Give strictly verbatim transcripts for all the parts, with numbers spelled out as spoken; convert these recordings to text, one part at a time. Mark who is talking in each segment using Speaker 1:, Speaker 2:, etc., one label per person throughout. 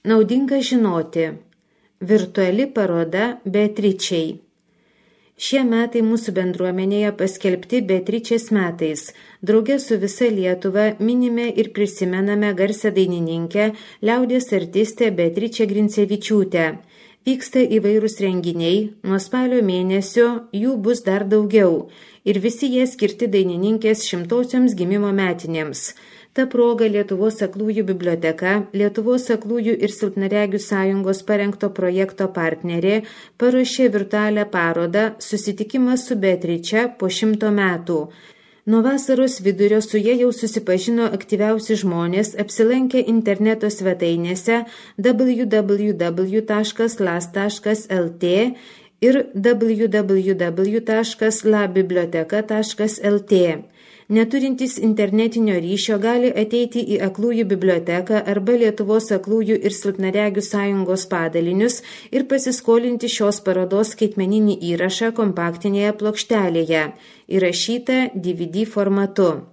Speaker 1: Naudinga žinoti. Virtuali paroda Beatričei. Šie metai mūsų bendruomenėje paskelbti Beatričės metais. Drauge su visa Lietuva minime ir prisimename garsią dainininkę, liaudies artistę Beatričę Grincevičiūtę. Vyksta įvairūs renginiai, nuo spalio mėnesio jų bus dar daugiau ir visi jie skirti dainininkės šimtosioms gimimo metinėms. Ta proga Lietuvos aklųjų biblioteka, Lietuvos aklųjų ir silpnaregių sąjungos parengto projekto partnerė paruošė virtualią parodą Susitikimas su Beatriče po šimto metų. Nuo vasaros vidurio su jie jau susipažino aktyviausi žmonės apsilankę interneto svetainėse w w w taškas las taškas l t ir w w w taškas la biblioteka taškas l t. Neturintys internetinio ryšio gali ateiti į aklųjų biblioteką arba Lietuvos aklųjų ir silpnaregių sąjungos padalinius ir pasiskolinti šios parodos skaitmeninį įrašą kompaktinėje plokštelėje, įrašytą D V D formatu.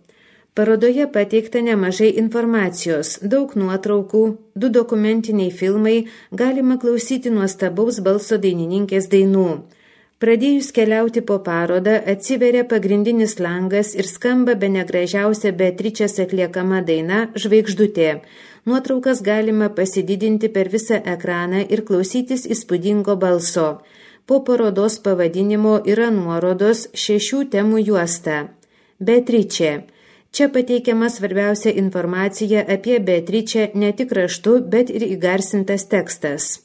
Speaker 1: Parodoje pateikta nemažai informacijos, daug nuotraukų, du dokumentiniai filmai, galima klausyti nuostabaus balso dainininkės dainų. Pradėjus keliauti po parodą, atsiveria pagrindinis langas ir skamba bene gražiausia Beatričės atliekama daina Žvaigždutė. Nuotraukas galima pasididinti per visą ekraną ir klausytis įspūdingo balso. Po parodos pavadinimo yra nuorodos šešių temų juosta. Beatričė. Čia pateikiama svarbiausia informacija apie Beatričę ne tik raštu, bet ir įgarsintas tekstas.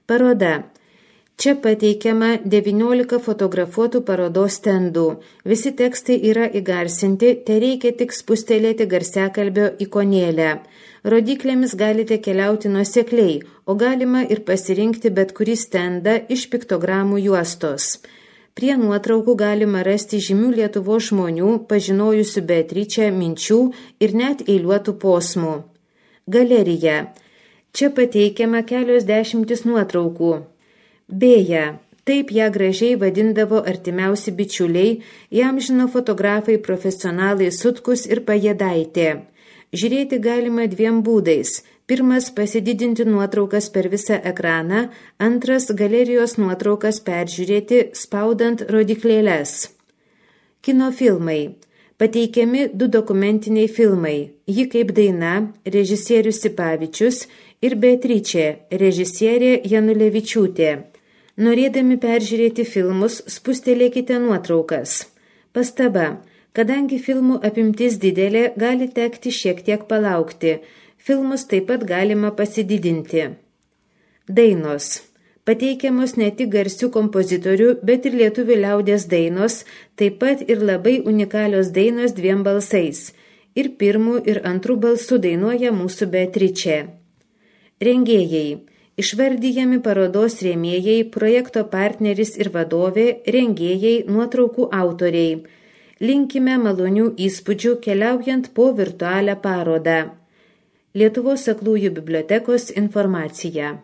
Speaker 1: Paroda. Čia pateikiama devyniolika fotografuotų parodos stendų. Visi tekstai yra įgarsinti, te reikia tik spustelėti garsiakalbio ikonėlę. Rodiklėmis galite keliauti nuosekliai, o galima ir pasirinkti bet kurį stendą iš piktogramų juostos. Prie nuotraukų galima rasti žymių Lietuvos žmonių, pažinojusių Beatričę minčių ir net eiliuotų posmų. Galerija. Čia pateikiama kelios dešimtis nuotraukų. Beje, taip ją gražiai vadindavo artimiausi bičiuliai, įamžino fotografai profesionalai Sutkus ir Pajėdaitė. Žiūrėti galima dviem būdais. Pirmas – pasididinti nuotraukas per visą ekraną, antras – galerijos nuotraukas peržiūrėti, spaudant rodiklėles. Kinofilmai. Pateikiami du dokumentiniai filmai. Ji kaip daina, režisierius Sipavičius ir Beatričė, režisierė Janulevičiūtė. Norėdami peržiūrėti filmus, spustelėkite nuotraukas. Pastaba. Kadangi filmų apimtis didelė, gali tekti šiek tiek palaukti. Filmus taip pat galima pasididinti. Dainos. Pateikiamos ne tik garsių kompozitorių, bet ir lietuvių liaudies dainos, taip pat ir labai unikalios dainos dviem balsais. Ir pirmų, ir antrų balsų dainuoja mūsų Beatričė. Rengėjai. Išvardyjami parodos rėmėjai, projekto partneris ir vadovė, rengėjai, nuotraukų autoriai. Linkime malonių įspūdžių keliaujant po virtualią parodą. Lietuvos aklųjų bibliotekos informacija.